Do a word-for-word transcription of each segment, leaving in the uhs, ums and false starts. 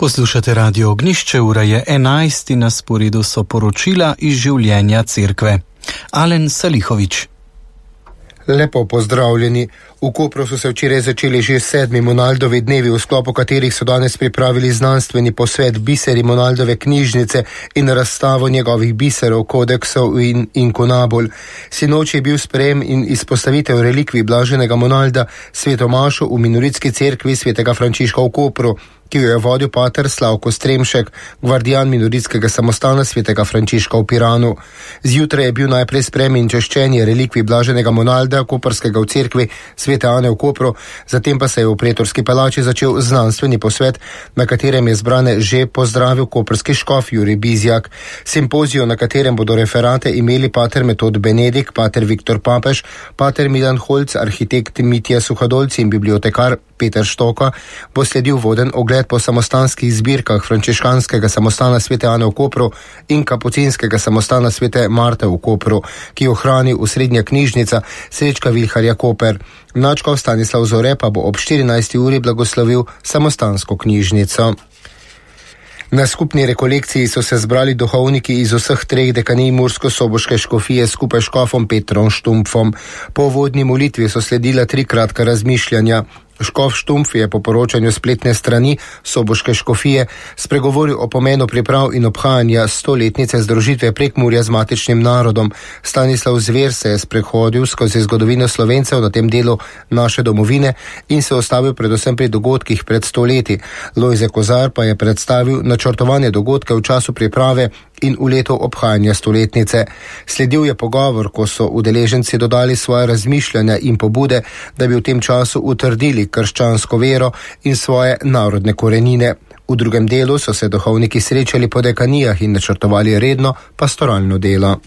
Poslušate Radio Ognjišče, ura je enajst in na sporedu so poročila iz življenja cerkve. Alen Salihovič. Lepo pozdravljeni. V Kopru so se včeraj začeli že sedmi Monaldovi dnevi, v sklopu katerih so danes pripravili znanstveni posvet biseri Monaldove knjižnice in razstavo njegovih biserov, kodeksov in inkunabul. Sinoči je bil sprejem in izpostavitev relikvij blaženega Monalda svetomašu v minoritski cerkvi svetega Frančiška v Kopru, ki jo je vodil pater Slavko Stremšek, gvardijan minoritskega samostana svetega Frančiška v Piranu. Zjutraj je bil najprej sprejem in češčenje relikvij blaženega Monalda, koprskega v cerkvi svete Ane v Kopru, zatem pa se je v pretorski palači začel znanstveni posvet, na katerem je zbrane že pozdravil koprski škof Jurij Bizjak. Simpozijo, na katerem bodo referate imeli pater Metod Benedik, pater Viktor Papež, pater Milan Holc, arhitekt Mitja Suhadolci in bibliotekar Peter Štoka, bo sledil voden ogled po samostanskih zbirkah frančiškanskega samostana svete Ane v Kopru in kapucinskega samostana svete Marte v Kopru, ki jo hrani osrednja knjižnica Srečka Vilharja Koper. Nadškof Stanislav Zore pa bo ob štirinajsti uri blagoslovil samostansko knjižnico. Na skupni rekolekciji so se zbrali duhovniki iz vseh treh dekanij mursko-soboške škofije skupaj s škofom Petrom Štumpfom. Po uvodni molitvi so sledila tri kratka razmišljanja. Škof Štumpf je po poročanju spletne strani soboške škofije spregovoril o pomenu priprav in obhajanja stoletnice združitve Prekmurja z matičnim narodom. Stanislav Zver se je sprehodil skozi zgodovino Slovencev na tem delu naše domovine in se ostavil predvsem pri dogodkih pred sto leti. Lojze Kozar pa je predstavil načrtovanje dogodke v času priprave in v letu obhajanja stoletnice. Sledil je pogovor, ko so udeleženci dodali svoje razmišljanja in pobude, da bi v tem času utrdili krščansko vero in svoje narodne korenine. V drugem delu so se duhovniki srečali po dekanijah in načrtovali redno pastoralno delo.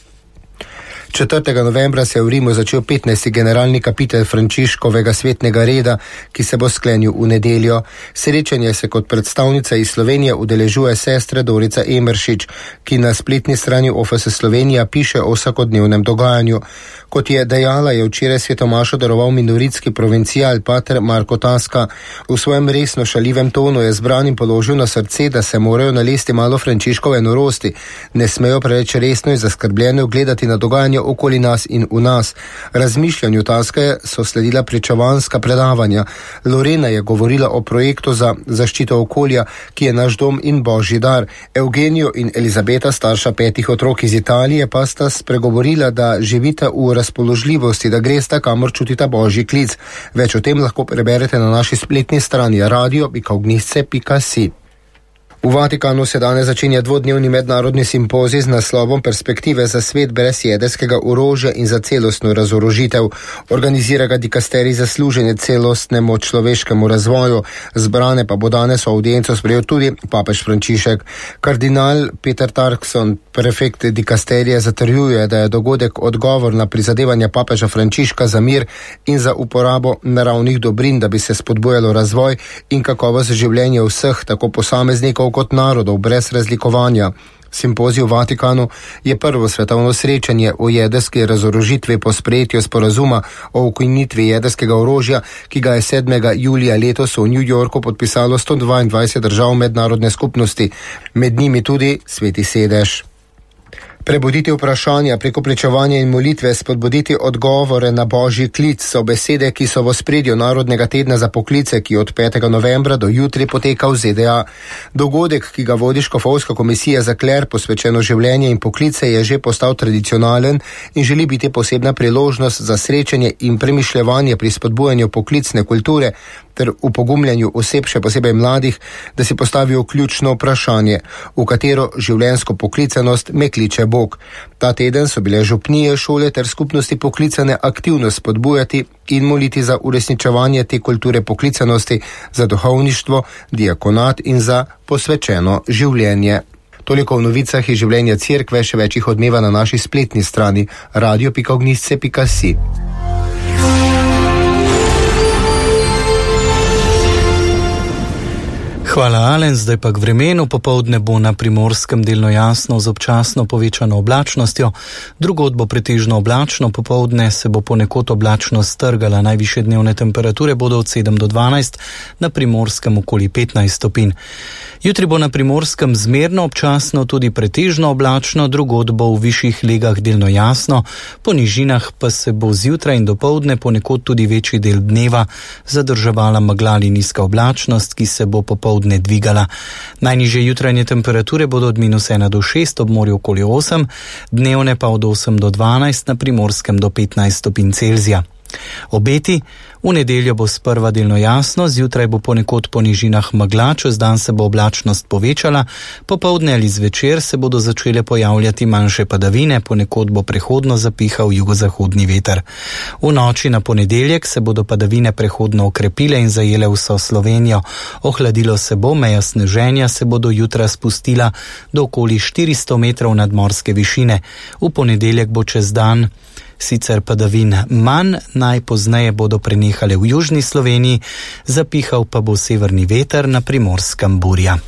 četrtega novembra se je v Rimu začel petnajsti generalni kapitel Frančiškovega svetnega reda, ki se bo sklenil v nedeljo. Srečanje se kot predstavnica iz Slovenije udeležuje sestra Dorica Emeršič, ki na spletni strani O F S Slovenija piše o vsakodnevnem dogajanju. Kot je dejala, je včeraj svetomašo daroval minoritski provincial pater Marko Taska. V svojem resno šaljivem tonu je zbranim položil na srce, da se morajo nalesti malo Frančiškove norosti. Ne smejo preveč resno in zaskrbljeno gledati na dogajanje okoli nas in v nas. Razmišljanju Taske so sledila pričevanska predavanja. Lorena je govorila o projektu za zaščito okolja, ki je naš dom in božji dar. Eugenijo in Elizabeta, starša petih otrok iz Italije, pa sta spregovorila, da živita v razpoložljivosti, da gresta, kamor čutita božji klic. Več o tem lahko preberete na naši spletni strani radio pika ognjišče pika si. V Vatikanu se danes začenja dvodnevni mednarodni simpozij z naslovom Perspektive za svet brez jedrskega orožja in za celostno razorožitev. Organizira ga dikasterij za služenje celostnemu človeškemu razvoju. Zbrane pa bo danes v avdienco sprejel tudi papež Frančišek. Kardinal Peter Tarkson, prefekt dikasterija, zatrjuje, da je dogodek odgovor na prizadevanja papeža Frančiška za mir in za uporabo naravnih dobrin, da bi se spodbujalo razvoj in kakovost življenja vseh, tako posameznikov kot narodov, brez razlikovanja. Simpozij v Vatikanu je prvo svetovno srečanje o jedrski razorožitvi po sprejetju sporazuma o ukinitvi jedrskega orožja, ki ga je sedmega julija letos v New Yorku podpisalo sto dvaindvajset držav mednarodne skupnosti, med njimi tudi Sveti sedež. Prebuditi vprašanja preko pričevanja in molitve, spodbuditi odgovore na božji klic so besede, ki so v ospredju Narodnega tedna za poklice, ki od petega novembra do jutri poteka v Z D A. Dogodek, ki ga vodi Škofovska komisija za kler, posvečeno življenje in poklice, je že postal tradicionalen in želi biti posebna priložnost za srečanje in premišljevanje pri spodbujanju poklicne kulture ter upogumljanju oseb, še posebej mladih, da si postavijo ključno vprašanje, v katero življenjsko poklicanost me kliče Bog. Ta teden so bile župnije, šole ter skupnosti poklicane aktivno spodbujati in moliti za uresničevanje te kulture poklicanosti, za duhovništvo, diakonat in za posvečeno življenje. Toliko v novicah iz življenja cerkve, še več jih odmeva na naši spletni strani radio pika ognjišče pika si. Hvala, Alen. Zdaj pa k vremenu. Popoldne bo na Primorskem delno jasno z občasno povečano oblačnostjo. Drugod bo pretežno oblačno, popoldne se bo ponekod oblačnost strgala. Najvišje dnevne temperature bodo od sedem do dvanajst, na Primorskem okoli petnajst stopinj. Jutri bo na Primorskem zmerno občasno tudi pretežno oblačno, drugod bo v višjih legah delno jasno, po nižinah pa se bo zjutraj in dopoldne ponekod tudi večji del dneva zadrževala megla ali nizka oblačnost, ki se bo popoldne dvigala. Najnižje jutranje temperature bodo od minus ena do šest, ob morju okoli osem, dnevne pa od osem do dvanajst, na Primorskem do petnajst stopinj Celzija. Obeti: v nedeljo bo sprva delno jasno, zjutraj bo ponekod po nižinah megla, čez dan se bo oblačnost povečala, popoldne ali zvečer se bodo začele pojavljati manjše padavine, ponekod bo prehodno zapihal jugozahodni veter. V noči na ponedeljek se bodo padavine prehodno okrepile in zajele vso Slovenijo. Ohladilo se bo, meja sneženja se bo do jutra spustila do okoli štiristo metrov nadmorske višine. V ponedeljek bo čez dan sicer padavin manj, najpozneje bodo prenehale v južni Sloveniji, zapihal pa bo severni veter, na Primorskem burja.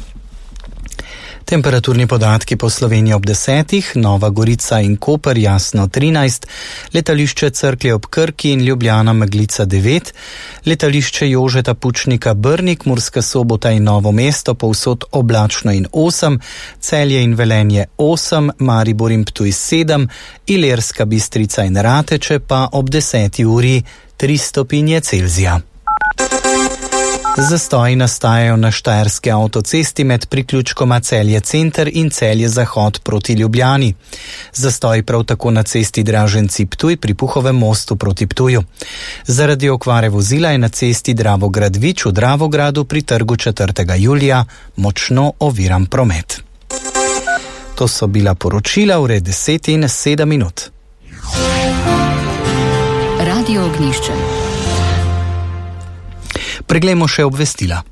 Temperaturni podatki po Sloveniji ob desetih, Nova Gorica in Koper jasno trinajst, letališče Cerklje ob Krki in Ljubljana meglica devet, letališče Jožeta Pučnika Brnik, Murska Sobota in Novo mesto povsod oblačno in osem, Celje in Velenje osem, Maribor in Ptuj sedem, Ilirska Bistrica in Rateče pa ob deseti uri tri stopinje Celzija. Zastoji nastajajo na štajerski avtocesti med priključkoma Celje center in Celje zahod proti Ljubljani. Zastoji prav tako na cesti Draženci-Ptuj pri Puhovem mostu proti Ptuju. Zaradi okvare vozila je na cesti Dravograd-Vič v Dravogradu pri trgu četrtega julija močno oviran promet. To so bila poročila ure deset in sedem minut. Radio Ognjišče. Preglejmo še obvestila.